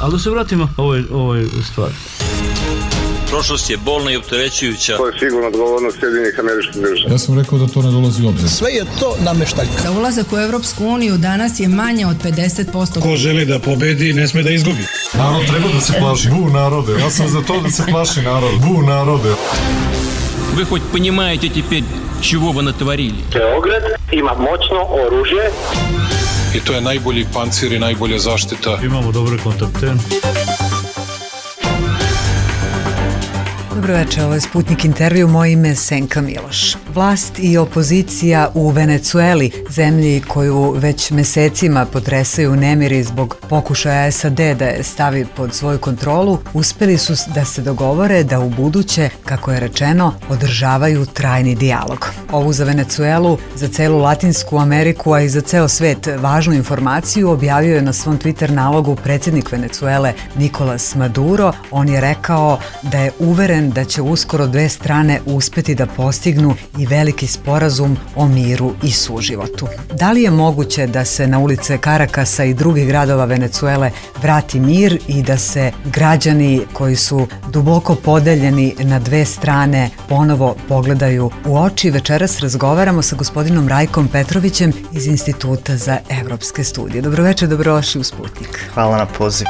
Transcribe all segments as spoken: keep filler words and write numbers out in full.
Ali da se vratimo ovoj, ovoj stvari. Prošlost je bolna i opterećujuća. To je sigurno odgovornost Sjedinjenih Američkih Država. Ja sam rekao da to ne dolazi u obzir. Sve je to nameštaljka. Za ulazak u Evropsku uniju danas je manje od pedeset posto. Ko želi da pobedi, ne sme da izgubi. Narod treba da se plaši. Bu narode. Ja sam za to da se plaši narod. Bu narode. Вы хоть понимаете теперь, чего вы натворили? Beograd ima moćno oružje. I to je najbolji pancir i najbolja zaštita. Imamo dobre kontakte. Dobro večer, ovo je Sputnik intervju, moje ime je Senka Miloš. Vlast i opozicija u Venecueli, zemlji koju već mesecima potresaju nemiri zbog pokušaja S A D da je stavi pod svoju kontrolu, uspeli su da se dogovore da u buduće, kako je rečeno, održavaju trajni dijalog. Ovu za Venecuelu, za celu Latinsku Ameriku, a i za ceo svet važnu informaciju objavio je na svom Twitter nalogu predsjednik Venecuele Nicolas Maduro. On je rekao da je uveren da će uskoro dve strane uspeti da postignu i veliki sporazum o miru i suživotu. Da li je moguće da se na ulice Karakasa i drugih gradova Venecuele vrati mir i da se građani koji su duboko podeljeni na dve strane ponovo pogledaju u oči? Večeras razgovaramo sa gospodinom Rajkom Petrovićem iz Instituta za evropske studije. Dobroveče, dobrodošli u Sputnik. Hvala na poziv.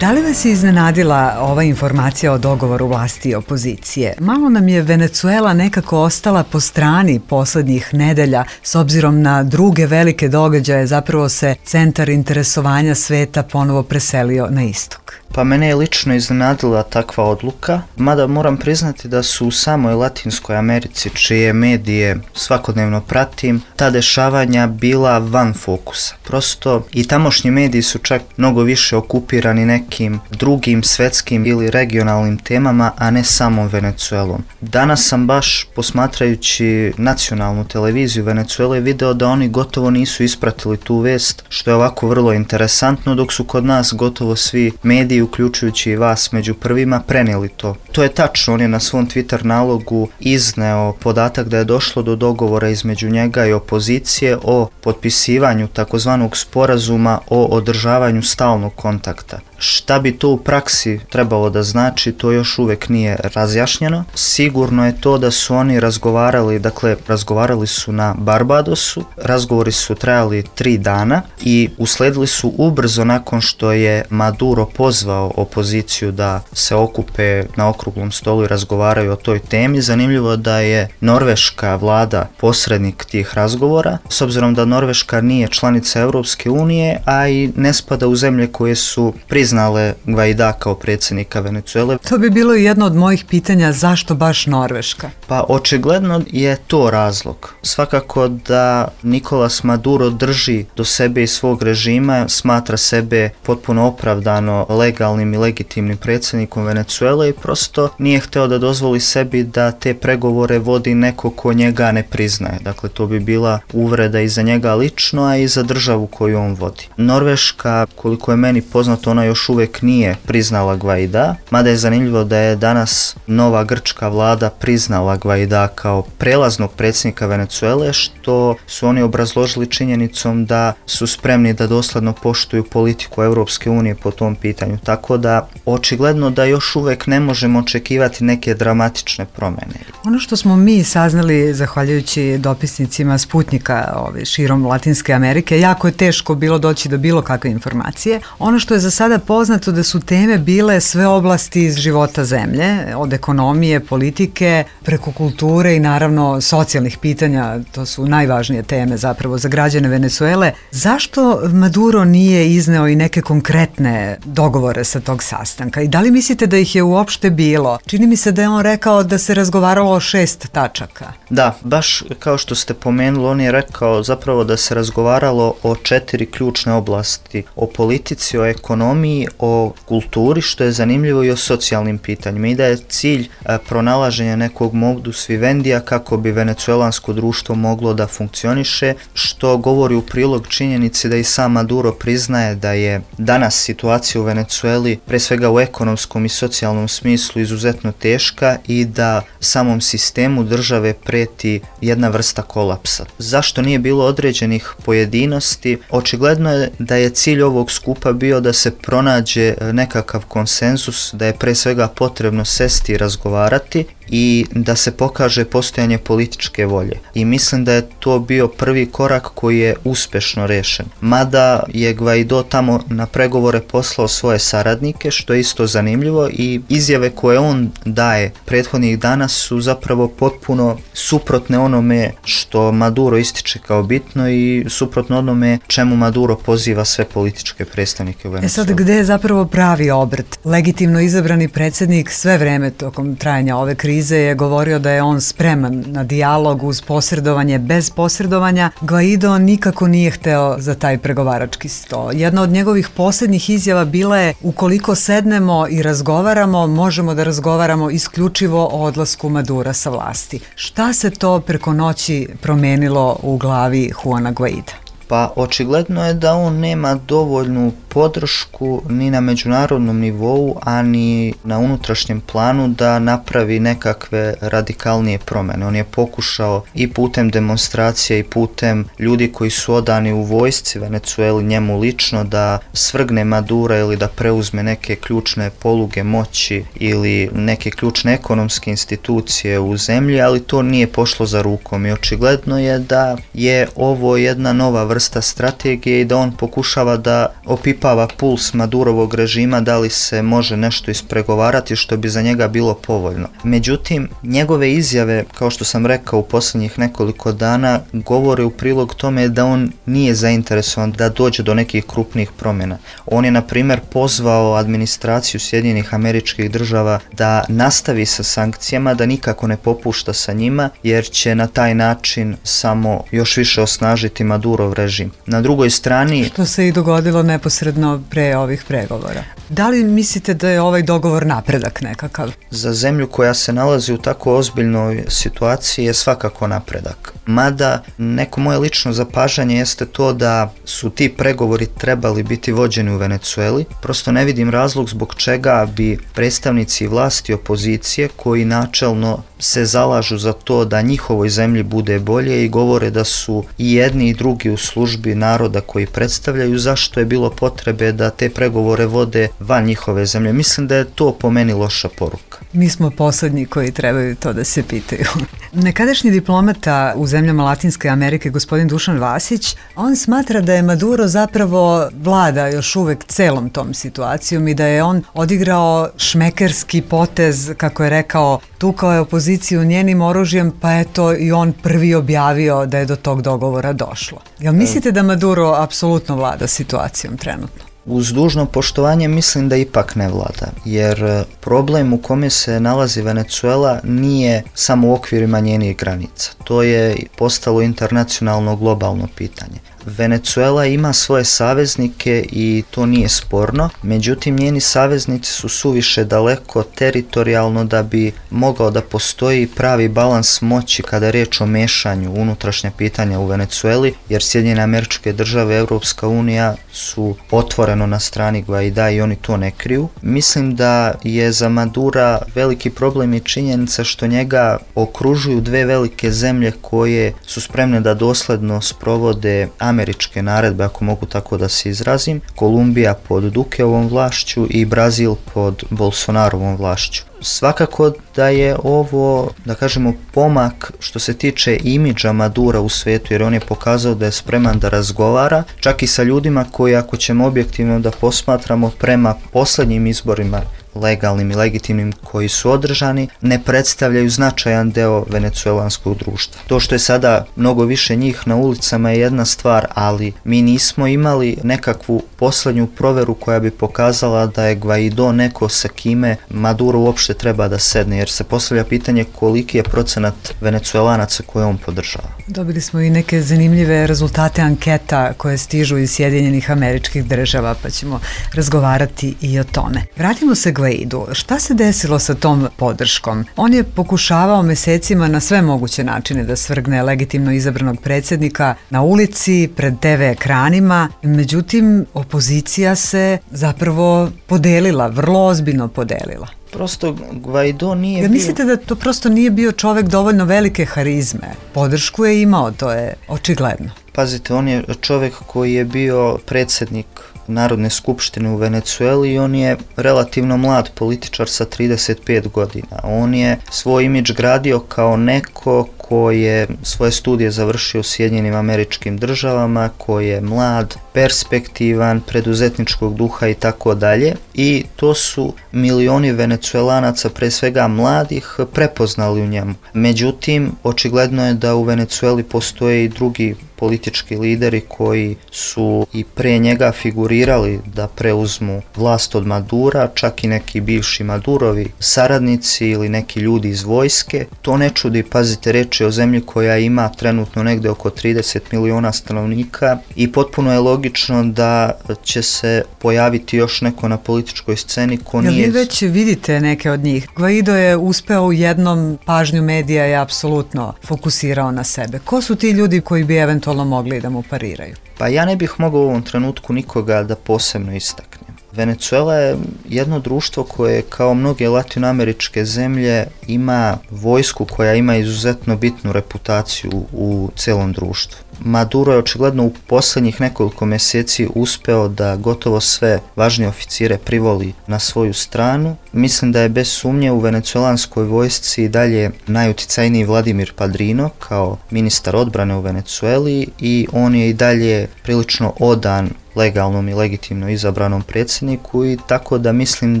Da li vas je iznenadila ova informacija o dogovoru vlasti i opozicije? Malo nam je Venecuela nekako ostala po strani poslednjih nedelja, s obzirom na druge velike događaje, zapravo se centar interesovanja sveta ponovo preselio na istok. Pa mene je lično iznenadila takva odluka, mada moram priznati da su u samoj Latinskoj Americi, čije medije svakodnevno pratim, ta dešavanja bila van fokusa. Prosto i tamošnji mediji su čak mnogo više okupirani nekim drugim svetskim ili regionalnim temama, a ne samom Venecuelom. Danas sam baš posmatrajući nacionalnu televiziju Venecuele video da oni gotovo nisu ispratili tu vest, što je ovako vrlo interesantno, dok su kod nas gotovo svi mediji, uključujući i vas među prvima, prenijeli to. To je tačno, on je na svom Twitter nalogu izneo podatak da je došlo do dogovora između njega i opozicije o potpisivanju takozvanog sporazuma o održavanju stalnog kontakta. Šta bi to u praksi trebalo da znači, to još uvek nije razjašnjeno. Sigurno je to da su oni razgovarali, dakle, razgovarali su na Barbadosu, razgovori su trajali tri dana i usledili su ubrzo nakon što je Maduro pozvao opoziciju da se okupe na okruglom stolu i razgovaraju o toj temi. Zanimljivo da je norveška vlada posrednik tih razgovora, s obzirom da Norveška nije članica Evropske unije, a i ne spada u zemlje koje su priznale priznale Gvaida kao predsjednika Venecuele. To bi bilo jedno od mojih pitanja, zašto baš Norveška? Pa očigledno je to razlog. Svakako da Nicolas Maduro drži do sebe i svog režima, smatra sebe potpuno opravdano legalnim i legitimnim predsjednikom Venecuele i prosto nije hteo da dozvoli sebi da te pregovore vodi neko ko njega ne priznaje. Dakle, to bi bila uvreda i za njega lično, a i za državu koju on vodi. Norveška, koliko je meni poznato, ona još uvek nije priznala Gvaida, mada je zanimljivo da je danas nova grčka vlada priznala Gvaida kao prelaznog predsjednika Venecuele, što su oni obrazložili činjenicom da su spremni da dosledno poštuju politiku Evropske unije po tom pitanju. Tako da, očigledno da još uvek ne možemo očekivati neke dramatične promjene. Ono što smo mi saznali, zahvaljujući dopisnicima Sputnika ove, širom Latinske Amerike, jako je teško bilo doći do bilo kakve informacije. Ono što je za sada poznato da su teme bile sve oblasti iz života zemlje, od ekonomije, politike, preko kulture i naravno socijalnih pitanja, to su najvažnije teme zapravo za građane Venecuele. Zašto Maduro nije izneo i neke konkretne dogovore sa tog sastanka i da li mislite da ih je uopšte bilo? Čini mi se da je on rekao da se razgovaralo o šest tačaka. Da, baš kao što ste pomenuli, on je rekao zapravo da se razgovaralo o četiri ključne oblasti, o politici, o ekonomiji, o kulturi, što je zanimljivo, i o socijalnim pitanjima, i da je cilj a, pronalaženja nekog modus vivendija kako bi venecuelansko društvo moglo da funkcioniše, što govori u prilog činjenici da i sam Maduro priznaje da je danas situacija u Vene, Venecueli, pre svega u ekonomskom i socijalnom smislu, izuzetno teška i da samom sistemu države preti jedna vrsta kolapsa. Zašto nije bilo određenih pojedinosti? Očigledno je da je cilj ovog skupa bio da se pronađe nekakav konsenzus, da je pre svega potrebno sesti i razgovarati i da se pokaže postojanje političke volje. I mislim da je to bio prvi korak koji je uspešno rešen. Mada je Guaido tamo na pregovore poslao svoje saradnike, što je isto zanimljivo, i izjave koje on daje prethodnih dana su zapravo potpuno suprotne onome što Maduro ističe kao bitno i suprotno onome čemu Maduro poziva sve političke predstavnike u Venecueli. E sad, gde je zapravo pravi obrt? Legitimno izabrani predsjednik sve vreme tokom trajanja ove krize je govorio da je on spreman na dijalog uz posredovanje, bez posredovanja. Guaido nikako nije hteo za taj pregovarački sto. Jedna od njegovih posljednjih izjava bila je: ukoliko sednemo i razgovaramo, možemo da razgovaramo isključivo o odlasku Madura sa vlasti. Šta se to preko noći promenilo u glavi Juana Guaida? Pa očigledno je da on nema dovoljnu podršku ni na međunarodnom nivou, a ni na unutrašnjem planu da napravi nekakve radikalnije promjene. On je pokušao i putem demonstracija i putem ljudi koji su odani u vojsci Venecueli njemu lično da svrgne Madura ili da preuzme neke ključne poluge moći ili neke ključne ekonomske institucije u zemlji, ali to nije pošlo za rukom i očigledno je da je ovo jedna nova vrsta strategije i da on pokušava da opipava puls Madurovog režima, da li se može nešto ispregovarati što bi za njega bilo povoljno. Međutim, njegove izjave, kao što sam rekao u posljednjih nekoliko dana, govore u prilog tome da on nije zainteresovan da dođe do nekih krupnih promjena. On je, na primjer, pozvao administraciju Sjedinjenih Američkih Država da nastavi sa sankcijama, da nikako ne popušta sa njima, jer će na taj način samo još više osnažiti Madurov režim. Na drugoj strani... Što se i dogodilo neposredno pre ovih pregovora. Da li mislite da je ovaj dogovor napredak nekakav? Za zemlju koja se nalazi u tako ozbiljnoj situaciji je svakako napredak. Mada neko moje lično zapažanje jeste to da su ti pregovori trebali biti vođeni u Venecueli. Prosto ne vidim razlog zbog čega bi predstavnici vlasti i opozicije, koji načelno se zalažu za to da njihovoj zemlji bude bolje i govore da su i jedni i drugi u službi naroda koji predstavljaju, zašto je bilo potrebe da te pregovore vode van njihove zemlje. Mislim da je to po meni loša poruka. Mi smo poslednji koji trebaju to da se pitaju. Nekadašnji diplomata u zemljama Latinske Amerike, gospodin Dušan Vasić, on smatra da je Maduro zapravo vlada još uvek celom tom situacijom i da je on odigrao šmekerski potez, kako je rekao, tukao je opoziciju njenim oružjem, pa eto i on prvi objavio da je do tog dogovora došlo. Jel mislite da Maduro apsolutno vlada situacijom trenutno? Uz dužno poštovanje mislim da ipak ne vlada, jer problem u kome se nalazi Venecuela nije samo u okvirima njenih granica. To je postalo internacionalno globalno pitanje. Venecuela ima svoje saveznike i to nije sporno, međutim njeni saveznici su suviše daleko teritorijalno da bi mogao da postoji pravi balans moći kada je riječ o mešanju unutrašnja pitanja u Venecueli, jer Sjedinjene Američke Države i Europska unija su otvoreno na strani Guaida i oni to ne kriju. Mislim da je za Madura veliki problem i činjenica što njega okružuju dve velike zemlje koje su spremne da dosledno sprovode američke naredbe, ako mogu tako da se izrazim, Kolumbija pod Dukeovom vlašću i Brazil pod Bolsonarovom vlašću. Svakako da je ovo, da kažemo, pomak što se tiče imidža Madura u svetu, jer on je pokazao da je spreman da razgovara, čak i sa ljudima koji, ako ćemo objektivno da posmatramo prema posljednjim izborima, legalnim i legitimnim koji su održani, ne predstavljaju značajan deo venecuelanskog društva. To što je sada mnogo više njih na ulicama je jedna stvar, ali mi nismo imali nekakvu posljednju proveru koja bi pokazala da je Guaido neko sa kime Maduro uopšte treba da sedne, jer se postavlja pitanje koliki je procenat Venecuelanaca koje on podržava. Dobili smo i neke zanimljive rezultate anketa koje stižu iz Sjedinjenih Američkih Država, pa ćemo razgovarati i o tome. Vratimo se Guaido. Gvaidu. Šta se desilo sa tom podrškom? On je pokušavao mesecima na sve moguće načine da svrgne legitimno izabranog predsjednika na ulici, pred te ve ekranima, međutim opozicija se zapravo podelila, vrlo ozbiljno podelila. Prosto Gvaido nije Jer bio... mislite da to prosto nije bio čovek dovoljno velike harizme? Podršku je imao, to je očigledno. Pazite, on je čovjek koji je bio predsjednik Narodne skupštine u Venecueli i on je relativno mlad političar sa trideset pet godina. On je svoj imidž gradio kao neko ko je svoje studije završio u Sjedinjenim Američkim Državama, koji je mlad, perspektivan, preduzetničkog duha i tako dalje. I to su milioni Venecuelanaca, pre svega mladih, prepoznali u njemu. Međutim, očigledno je da u Venecueli postoje i drugi politički lideri koji su i pre njega figurirali da preuzmu vlast od Madura, čak i neki bivši Madurovi saradnici ili neki ljudi iz vojske. To ne čudi, pazite, reč je o zemlji koja ima trenutno negde oko trideset miliona stanovnika i potpuno je logično da će se pojaviti još neko na političkoj sceni ko Jel nije... vi već vidite neke od njih? Gvaido je uspeo u jednom, pažnju medija je apsolutno fokusirao na sebe. Ko su ti ljudi koji bi eventualno mogli da mu pariraju? Pa ja ne bih mogao u ovom trenutku nikoga da posebno istaknem. Venecuela je jedno društvo koje, kao mnoge latinoameričke zemlje, ima vojsku koja ima izuzetno bitnu reputaciju u celom društvu. Maduro je očigledno u posljednjih nekoliko mjeseci uspeo da gotovo sve važnije oficire privoli na svoju stranu. Mislim da je bez sumnje u venecuelanskoj vojsci i dalje najuticajniji Vladimir Padrino kao ministar odbrane u Venecueli i on je i dalje prilično odan legalnom i legitimno izabranom predsjedniku i tako da mislim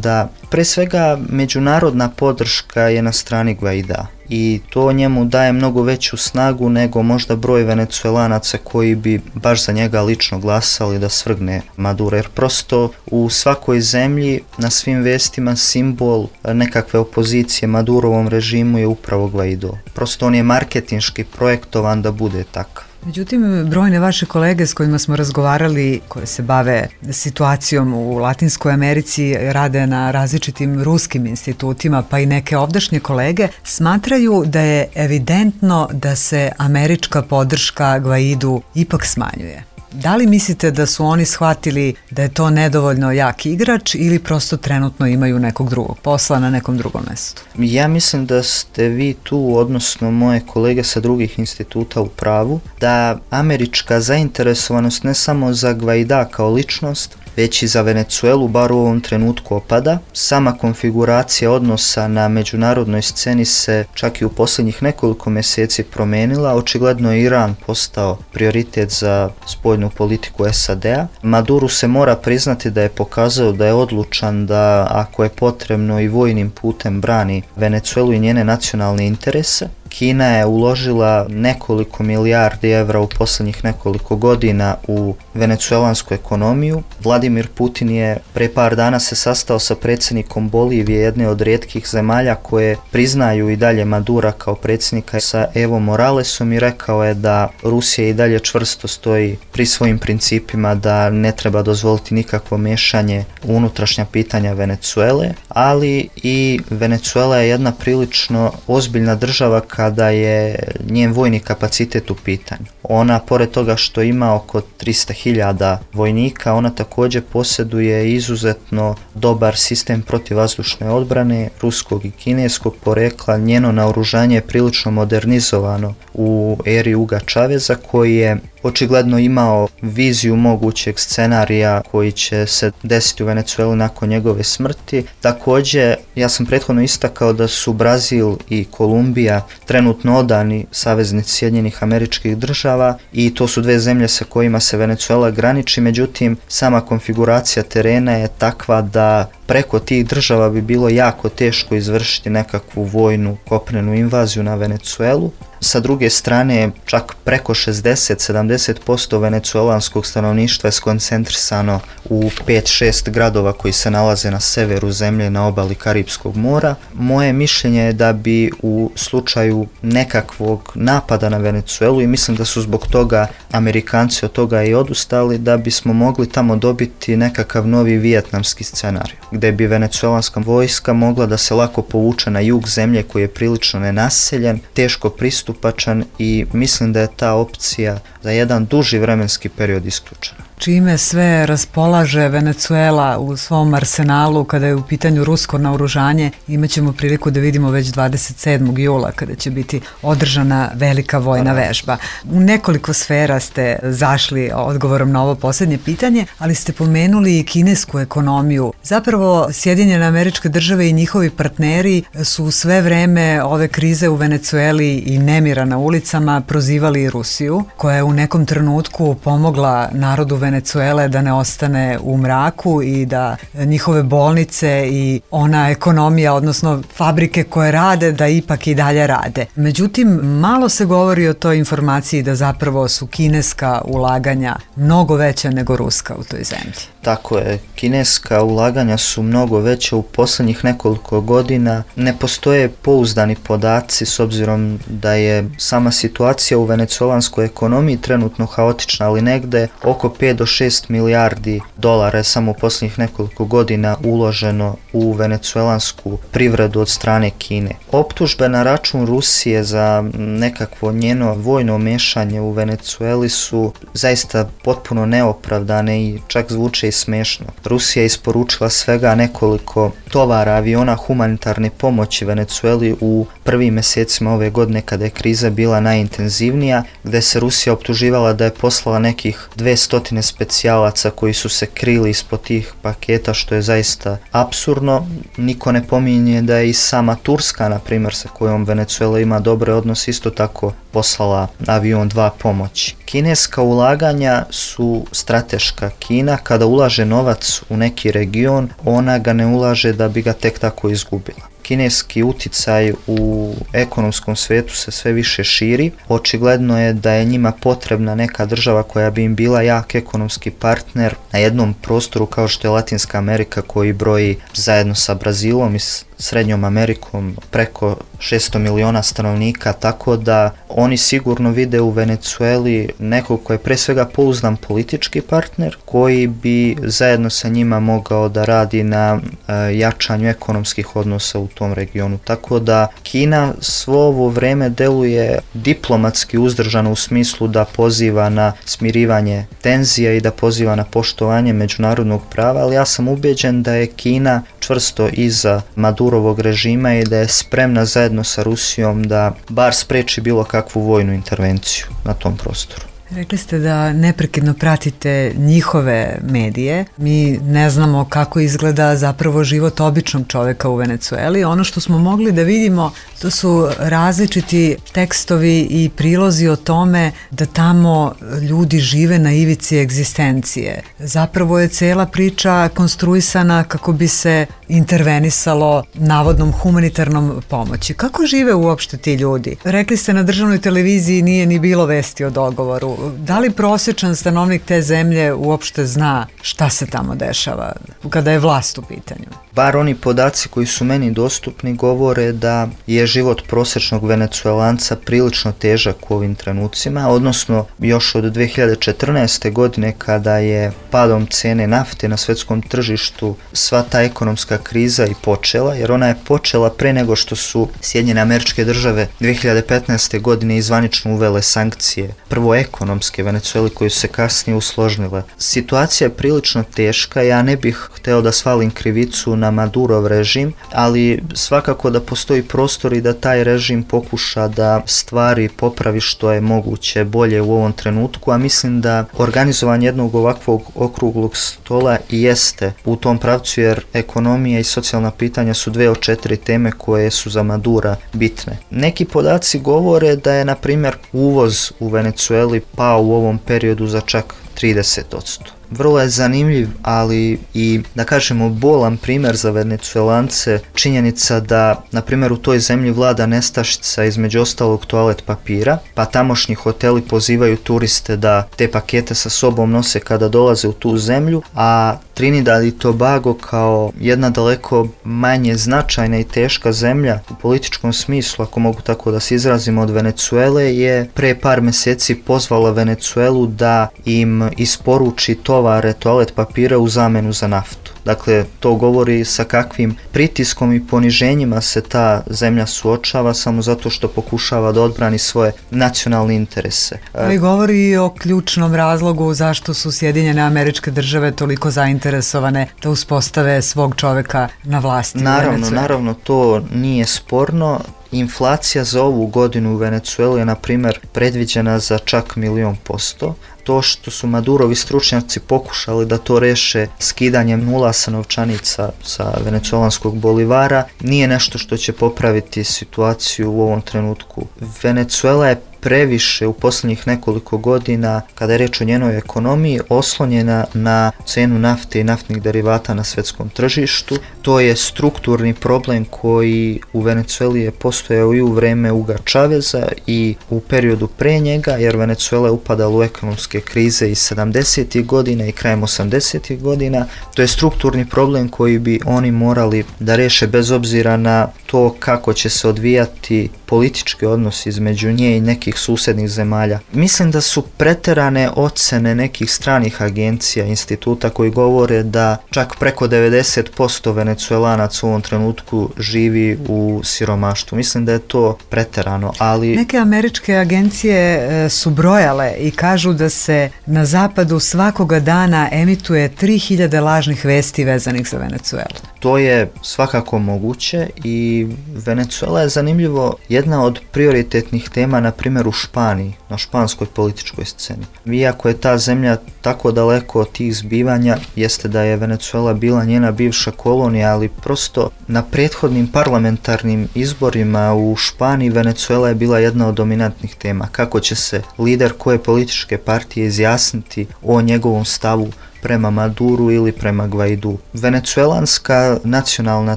da pre svega međunarodna podrška je na strani Gvaida i to njemu daje mnogo veću snagu nego možda broj Venecuelanaca koji bi baš za njega lično glasali da svrgne Maduro, jer prosto u svakoj zemlji na svim vestima simbol nekakve opozicije Madurovom režimu je upravo Gvaido. Prosto on je marketinški projektovan da bude takav. Međutim, brojne vaše kolege s kojima smo razgovarali, koje se bave situacijom u Latinskoj Americi, rade na različitim ruskim institutima, pa i neke ovdašnje kolege, smatraju da je evidentno da se američka podrška Gvaidu ipak smanjuje. Da li mislite da su oni shvatili da je to nedovoljno jak igrač ili prosto trenutno imaju nekog drugog posla na nekom drugom mjestu? Ja mislim da ste vi tu, odnosno moje kolege sa drugih instituta, u pravu, da američka zainteresovanost ne samo za Gvaida kao ličnost, već i za Venecuelu, bar u ovom trenutku, opada. Sama konfiguracija odnosa na međunarodnoj sceni se čak i u posljednjih nekoliko mjeseci promenila. Očigledno je Iran postao prioritet za spoljnu politiku es a de a. Maduro se mora priznati da je pokazao da je odlučan da, ako je potrebno, i vojnim putem brani Venecuelu i njene nacionalne interese. Kina je uložila nekoliko milijardi evra u posljednjih nekoliko godina u venecuelansku ekonomiju. Vladimir Putin je pre par dana se sastao sa predsjednikom Bolivije, jedne od rijetkih zemalja koje priznaju i dalje Madura kao predsjednika, sa Evo Moralesom, i rekao je da Rusija i dalje čvrsto stoji pri svojim principima, da ne treba dozvoliti nikakvo miješanje u unutrašnja pitanja Venecuele, ali i Venecuela je jedna prilično ozbiljna država kada je njen vojni kapacitet u pitanju. Ona, pored toga što ima oko trista hiljada vojnika, ona također posjeduje izuzetno dobar sistem protivvazdušne odbrane ruskog i kineskog porekla. Njeno naoružanje je prilično modernizovano u eri Huga Chaveza, koji je očigledno imao viziju mogućeg scenarija koji će se desiti u Venecueli nakon njegove smrti. Također, ja sam prethodno istakao da su Brazil i Kolumbija trenutno odani saveznici Sjedinjenih Američkih Država i to su dve zemlje sa kojima se Venecuela graniči, međutim sama konfiguracija terena je takva da preko tih država bi bilo jako teško izvršiti nekakvu vojnu kopnenu invaziju na Venecuelu, Sa druge strane, čak preko šezdeset do sedamdeset posto venecuelanskog stanovništva je skoncentrisano u pet šest gradova koji se nalaze na severu zemlje na obali Karipskog mora. Moje mišljenje je da bi u slučaju nekakvog napada na Venecuelu, i mislim da su zbog toga Amerikanci od toga i odustali, da bismo mogli tamo dobiti nekakav novi vijetnamski scenarij, gde bi venecuelanska vojska mogla da se lako povuče na jug zemlje koji je prilično nenaseljen, teško pristupačan, i mislim da je ta opcija za jedan duži vremenski period isključena. Čime sve raspolaže Venecuela u svom arsenalu kada je u pitanju rusko naoružanje, imaćemo priliku da vidimo već dvadeset sedmog jula kada će biti održana velika vojna vežba. U nekoliko sfera ste zašli odgovorom na ovo posljednje pitanje, ali ste pomenuli i kinesku ekonomiju. Zapravo Sjedinjene Američke Države i njihovi partneri su sve vreme ove krize u Venecueli i nemira na ulicama prozivali Rusiju, koja je u nekom trenutku pomogla narodu Venecuele da ne ostane u mraku i da njihove bolnice i ona ekonomija, odnosno fabrike koje rade, da ipak i dalje rade. Međutim, malo se govori o toj informaciji da zapravo su kineska ulaganja mnogo veća nego ruska u toj zemlji. Tako je, kineska ulaganja su mnogo veća u posljednjih nekoliko godina. Ne postoje pouzdani podaci s obzirom da je sama situacija u venecuelanskoj ekonomiji trenutno haotična, ali negde oko pet do šest milijardi dolara je samo u posljednjih nekoliko godina uloženo u venecuelansku privredu od strane Kine. Optužbe na račun Rusije za nekakvo njeno vojno mešanje u Venecueli su zaista potpuno neopravdane i čak zvuče i smešno. Rusija je isporučila svega nekoliko tovara aviona humanitarne pomoći Venecueli u prvim mjesecima ove godine kada je kriza bila najintenzivnija, gde se Rusija optuživala da je poslala nekih dvesta specijalaca koji su se krili ispod tih paketa, što je zaista apsurdno. Niko ne pominje da je i sama Turska, na primjer, sa kojom Venecuela ima dobre odnose, isto tako poslala avion dva pomoći. Kineska ulaganja su strateška. Kina kada ulaže novac u neki region, ona ga ne ulaže da bi ga tek tako izgubila. Kineski uticaj u ekonomskom svetu se sve više širi. Očigledno je da je njima potrebna neka država koja bi im bila jak ekonomski partner na jednom prostoru kao što je Latinska Amerika, koji broji zajedno sa Brazilom i Srednjom Amerikom preko šesto miliona stanovnika, tako da oni sigurno vide u Venecueli nekog koji je pre svega pouzdan politički partner, koji bi zajedno sa njima mogao da radi na e, jačanju ekonomskih odnosa u tom regionu. Tako da Kina svo ovo vreme deluje diplomatski uzdržano u smislu da poziva na smirivanje tenzija i da poziva na poštovanje međunarodnog prava, ali ja sam ubeđen da je Kina čvrsto iza Madurovog režima i da je spremna zajedno sa Rusijom da bar spreči bilo kakvu vojnu intervenciju na tom prostoru. Rekli ste da neprekidno pratite njihove medije. Mi ne znamo kako izgleda zapravo život običnog čoveka u Venecueli. Ono što smo mogli da vidimo, to su različiti tekstovi i prilozi o tome da tamo ljudi žive na ivici egzistencije. Zapravo je cela priča konstruisana kako bi se intervenisalo navodnom humanitarnom pomoći. Kako žive uopšte ti ljudi? Rekli ste na državnoj televiziji nije ni bilo vesti o dogovoru. Da li prosječan stanovnik te zemlje uopšte zna šta se tamo dešava kada je vlast u pitanju? Bar oni podaci koji su meni dostupni govore da je život prosječnog Venecuelanca prilično težak u ovim trenucima, odnosno još od dve hiljade četrnaeste. godine kada je padom cene nafte na svjetskom tržištu sva ta ekonomska kriza i počela, jer ona je počela pre nego što su Sjedinjene Američke Države dve hiljade petnaeste. godine izvanično uvele sankcije, prvo ekonomske Venecueli, koje su se kasnije usložnile. Situacija je prilično teška, ja ne bih hteo da svalim krivicu na Madurov režim, ali svakako da postoji prostor i da taj režim pokuša da stvari popravi što je moguće bolje u ovom trenutku, a mislim da organizovanje jednog ovakvog okruglog stola i jeste u tom pravcu, jer ekonomija i socijalna pitanja su dve od četiri teme koje su za Madura bitne. Neki podaci govore da je, na primjer, uvoz u Venecueli pao u ovom periodu za čak trideset posto. vrlo je zanimljiv, ali i da kažemo bolan primjer za Venecuelance, činjenica da na primjer u toj zemlji vlada nestašica, između ostalog toalet papira, pa tamošnji hoteli pozivaju turiste da te pakete sa sobom nose kada dolaze u tu zemlju, a Trinidad i Tobago kao jedna daleko manje značajna i teška zemlja u političkom smislu, ako mogu tako da se izrazimo, od Venecuele, je pre par mjeseci pozvala Venecuelu da im isporuči tovare toalet papira u zamenu za naftu. Dakle, to govori sa kakvim pritiskom i poniženjima se ta zemlja suočava samo zato što pokušava da odbrani svoje nacionalne interese. Ali govori i o ključnom razlogu zašto su Sjedinjene Američke Države toliko zainteresovane da uspostave svog čoveka na vlasti. Naravno, naravno, to nije sporno. Inflacija za ovu godinu u Venecueli je, na primjer, predviđena za čak milion posto. To što su Madurovi stručnjaci pokušali da to reše skidanjem nula sa novčanica sa venecuelanskog bolivara nije nešto što će popraviti situaciju u ovom trenutku. Venecuela je previše u posljednjih nekoliko godina, kada je reč o njenoj ekonomiji, oslonjena na cenu nafte i naftnih derivata na svjetskom tržištu. To je strukturni problem koji u Venecueli je postojao i u vreme Huga Chaveza i u periodu pre njega, jer Venecuela je upadala u ekonomske krize iz sedamdesetih godina i krajem osamdesetih godina. To je strukturni problem koji bi oni morali da reše bez obzira na to kako će se odvijati politički odnos između nje i nekih susjednih zemalja. Mislim da su preterane ocene nekih stranih agencija, instituta koji govore da čak preko devedeset posto Venecuelanaca u ovom trenutku živi u siromaštvu. Mislim da je to preterano, ali... Neke američke agencije su brojale i kažu da se na zapadu svakoga dana emituje tri hiljade lažnih vesti vezanih za Venecuelu. To je svakako moguće i Venecuela je zanimljivo jedna od prioritetnih tema, na primjer u Španiji, na španskoj političkoj sceni. Iako je ta zemlja tako daleko od tih zbivanja, jeste da je Venecuela bila njena bivša kolonija, ali prosto na prethodnim parlamentarnim izborima u Španiji Venecuela je bila jedna od dominantnih tema. Kako će se lider koje političke partije izjasniti o njegovom stavu prema Maduru ili prema Guaidu. Venecuelanska nacionalna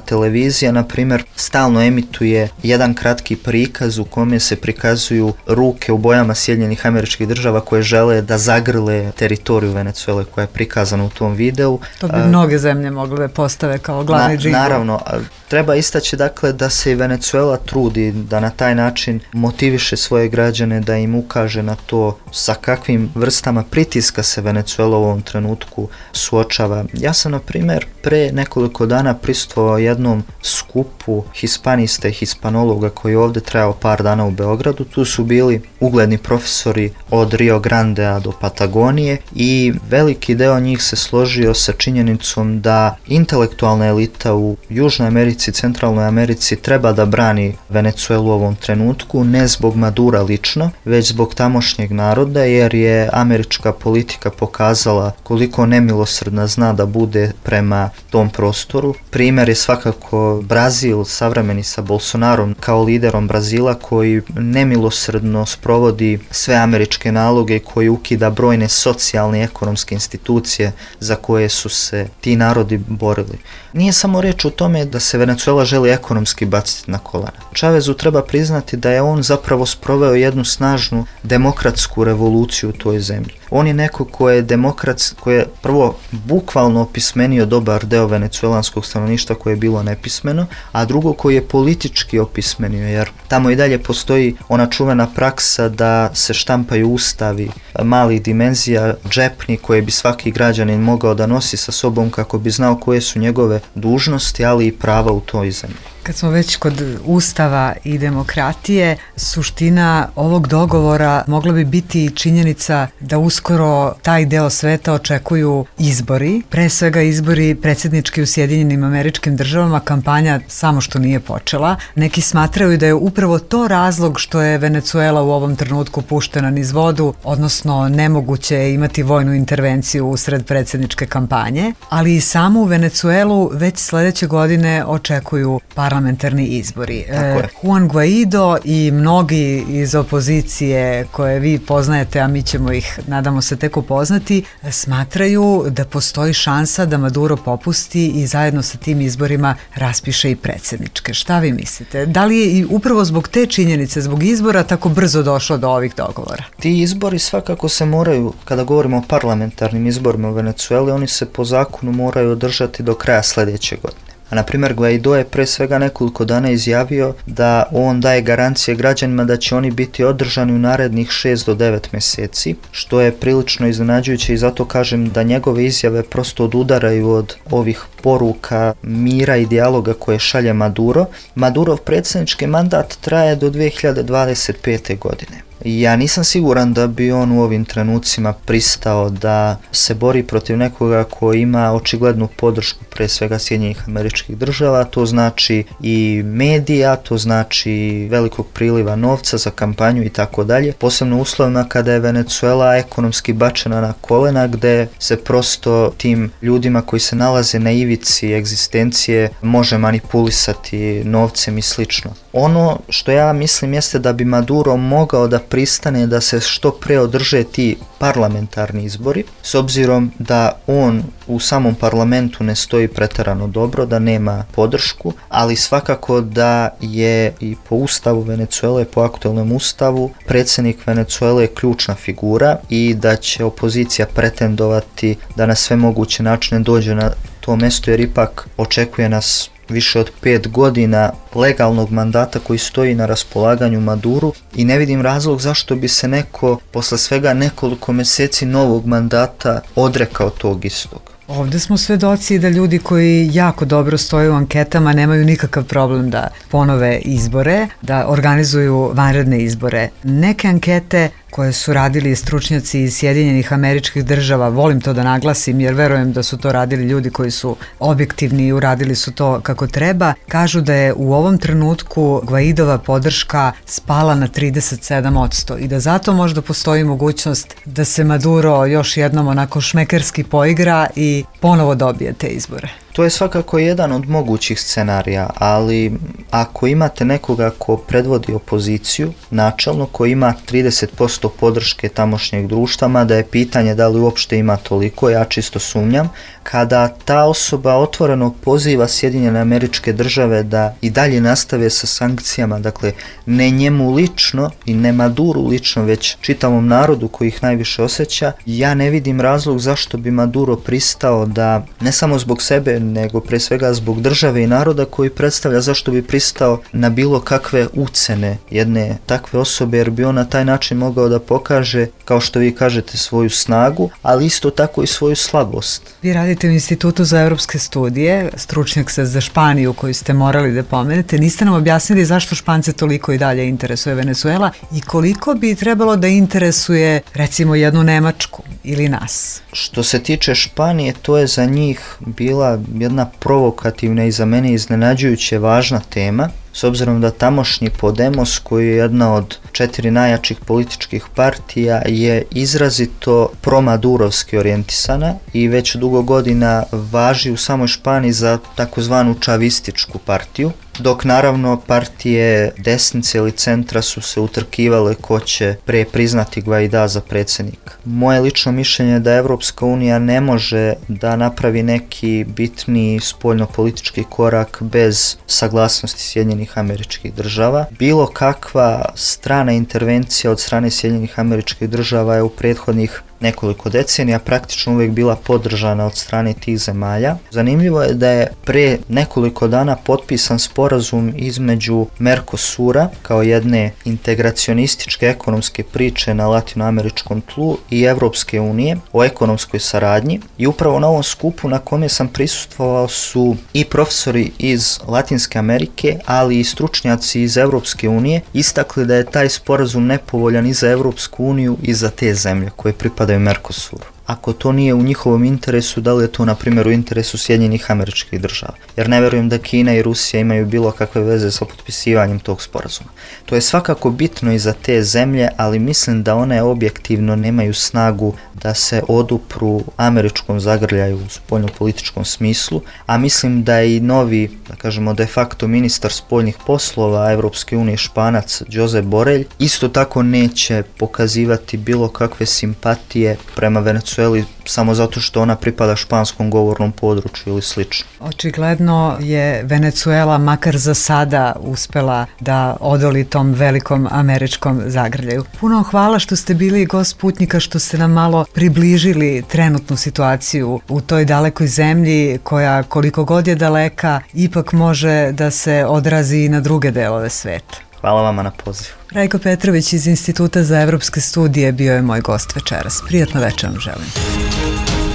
televizija, na primjer, stalno emituje jedan kratki prikaz u kome se prikazuju ruke u bojama Sjedinjenih Američkih Država koje žele da zagrle teritoriju Venecuele koja je prikazana u tom videu. To bi mnoge zemlje mogle postave kao glavni džingl. Naravno, treba istaći dakle da se i Venecuela trudi da na taj način motiviše svoje građane, da im ukaže na to sa kakvim vrstama pritiska se Venecuela u ovom trenutku suočava. Ja sam, na primjer, pre nekoliko dana prisustvovao jednom skupu hispanista i hispanologa koji je ovdje trajao par dana u Beogradu. Tu su bili ugledni profesori od Rio Grandea do Patagonije i veliki deo njih se složio sa činjenicom da intelektualna elita u Južnoj Americi i Centralnoj Americi treba da brani Venecuelu u ovom trenutku, ne zbog Madura lično, već zbog tamošnjeg naroda, jer je američka politika pokazala koliko nemilosrdna zna da bude prema tom prostoru. Primjer je svakako Brazil, savremeni sa Bolsonarom kao liderom Brazila, koji nemilosrdno sprovodi sve američke naloge i koji ukida brojne socijalne i ekonomske institucije za koje su se ti narodi borili. Nije samo reč o tome da se Venecuela želi ekonomski baciti na kolana. Chavezu treba priznati da je on zapravo sproveo jednu snažnu demokratsku revoluciju u toj zemlji. On je neko ko je demokratski, ko je prvo bukvalno opismenio dobar deo venecuelanskog stanovništva koje je bilo nepismeno, a drugo koji je politički opismenio, jer tamo i dalje postoji ona čuvena praksa da se štampaju ustavi malih dimenzija, džepni koje bi svaki građanin mogao da nosi sa sobom kako bi znao koje su njegove dužnosti, ali i prava u toj zemlji. Kad smo već kod ustava i demokratije, suština ovog dogovora mogla bi biti činjenica da uskoro taj deo sveta očekuju izbori, pre svega izbori predsjednički u Sjedinjenim Američkim Državama, kampanja samo što nije počela. Neki smatraju da je upravo to razlog što je Venecuela u ovom trenutku puštena niz vodu, odnosno nemoguće je imati vojnu intervenciju usred predsjedničke kampanje, ali i samu Venecuelu već sljedeće godine očekuju parlamentarne parlamentarni izbori. Tako je. Juan Guaido i mnogi iz opozicije koje vi poznajete, a mi ćemo ih, nadamo se, tek upoznati, smatraju da postoji šansa da Maduro popusti i zajedno sa tim izborima raspiše i predsjedničke. Šta vi mislite? Da li je i upravo zbog te činjenice, zbog izbora, tako brzo došlo do ovih dogovora? Ti izbori svakako se moraju, kada govorimo o parlamentarnim izborima u Venecueli, oni se po zakonu moraju održati do kraja sljedeće godine. A na primjer Guaido je pre svega nekoliko dana izjavio da on daje garancije građanima da će oni biti održani u narednih šest do devet mjeseci, što je prilično iznenađujuće i zato kažem da njegove izjave prosto odudaraju od ovih poruka mira i dijaloga koje šalje Maduro. Madurov predsjednički mandat traje do dvije hiljade dvadeset pete. godine. Ja nisam siguran da bi on u ovim trenucima pristao da se bori protiv nekoga ko ima očiglednu podršku pre svega Sjedinjenih Američkih Država, to znači i medija, to znači velikog priliva novca za kampanju i tako dalje, posebno u uslovima kada je Venecuela ekonomski bačena na kolena, gde se prosto tim ljudima koji se nalaze na ivici egzistencije može manipulisati novcem i slično. Ono što ja mislim jeste da bi Maduro mogao da pristane da se što pre održe ti parlamentarni izbori, s obzirom da on u samom parlamentu ne stoji preterano dobro, da nema podršku, ali svakako da je i po ustavu Venecuele, po aktualnom ustavu, predsjednik Venecuele je ključna figura i da će opozicija pretendovati da na sve moguće načine dođe na to mjesto, jer ipak očekuje nas više od pet godina legalnog mandata koji stoji na raspolaganju Maduru i ne vidim razlog zašto bi se neko posle svega nekoliko mjeseci novog mandata odrekao tog istog. Ovdje smo svedoci da ljudi koji jako dobro stoje u anketama nemaju nikakav problem da ponove izbore, da organizuju vanredne izbore. Neke ankete koje su radili stručnjaci iz Sjedinjenih Američkih Država, volim to da naglasim jer verujem da su to radili ljudi koji su objektivni i uradili su to kako treba, kažu da je u ovom trenutku Guaidova podrška spala na trideset sedam posto i da zato možda postoji mogućnost da se Maduro još jednom onako šmekerski poigra i ponovo dobije te izbore. To je svakako jedan od mogućih scenarija, ali ako imate nekoga ko predvodi opoziciju, načelno ko ima trideset posto podrške tamošnjeg društva, mada je pitanje da li uopšte ima toliko, ja čisto sumnjam, kada ta osoba otvoreno poziva Sjedinjene Američke Države da i dalje nastave sa sankcijama, dakle ne njemu lično i ne Maduru lično, već čitavom narodu koji ih najviše osjeća, ja ne vidim razlog zašto bi Maduro pristao da, ne samo zbog sebe, nego pre svega zbog države i naroda koji predstavlja, zašto bi pristao na bilo kakve ucene jedne takve osobe, jer bi on na taj način mogao da pokaže, kao što vi kažete, svoju snagu, ali isto tako i svoju slabost. Vi radite u Institutu za evropske studije, stručnjak se za Španiju koju ste morali da pomenete. Niste nam objasnili zašto Špance toliko i dalje interesuje Venezuela i koliko bi trebalo da interesuje recimo jednu Nemačku ili nas? Što se tiče Španije, to je za njih bila jedna provokativna i za mene iznenađujuće važna tema, s obzirom da tamošnji Podemos, koji je jedna od četiri najjačih političkih partija, je izrazito promadurovski orijentisana i već dugo godina važi u samoj Španiji za takozvanu čavističku partiju, dok naravno partije desnice ili centra su se utrkivale ko će pre priznati Guaida za predsjednika. Moje lično mišljenje je da Evropska unija ne može da napravi neki bitni spoljnopolitički korak bez saglasnosti Sjedinjenih Američkih Država. Bilo kakva strana intervencija od strane Sjedinjenih Američkih Država je u prethodnih nekoliko decenija praktično uvijek bila podržana od strane tih zemalja. Zanimljivo je da je pre nekoliko dana potpisan sporazum između Mercosura kao jedne integracionističke ekonomske priče na latinoameričkom tlu i Evropske unije o ekonomskoj saradnji i upravo na ovom skupu na kome sam prisustvovao su i profesori iz Latinske Amerike, ali i stručnjaci iz Evropske unije istakli da je taj sporazum nepovoljan i za Evropsku uniju i za te zemlje koje pripadaju Mercosuru. Ako to nije u njihovom interesu, da li je to na primjer u interesu Sjedinjenih Američkih Država? Jer ne vjerujem da Kina i Rusija imaju bilo kakve veze sa potpisivanjem tog sporazuma. To je svakako bitno i za te zemlje, ali mislim da one objektivno nemaju snagu da se odupru američkom zagrljaju u spoljnopolitičkom smislu, a mislim da i novi, da kažemo de facto ministar spoljnih poslova Evropske unije Španac Josep Borrell isto tako neće pokazivati bilo kakve simpatije prema Venecueli samo zato što ona pripada španskom govornom području ili slično. Očigledno je Venecuela makar za sada uspela da odoli tom velikom američkom zagrljaju. Puno hvala što ste bili gost Putnika, što ste nam malo približili trenutnu situaciju u toj dalekoj zemlji koja koliko god je daleka ipak može da se odrazi i na druge delove sveta. Hvala vama na pozivu. Rajko Petrović iz Instituta za evropske studije bio je moj gost večeras. Prijatno večer vam želim.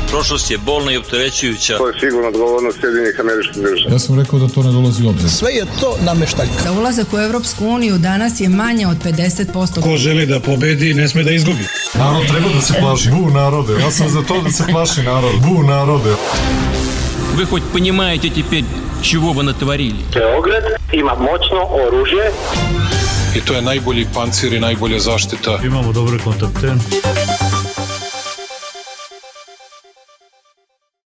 Prošlost je bolna i opterećujuća. To je sigurno odgovornost Sjedinjenih Američkih Država. Ja sam rekao da to ne dolazi u obzir. Sve je to nameštaljka. Za ulazak u Evropsku uniju danas je manje od pedeset posto. Ko želi da pobedi, ne sme da izgubi. Narod treba da se plaši. Bu narode. Ja sam za to da se plaši narod. Bu narode. Вы хоть понимаете теперь, чего вы натворили? Beograd ima moćno oružje. I to je najbolji pancir i najbolja zaštita. Imamo dobre kontakte.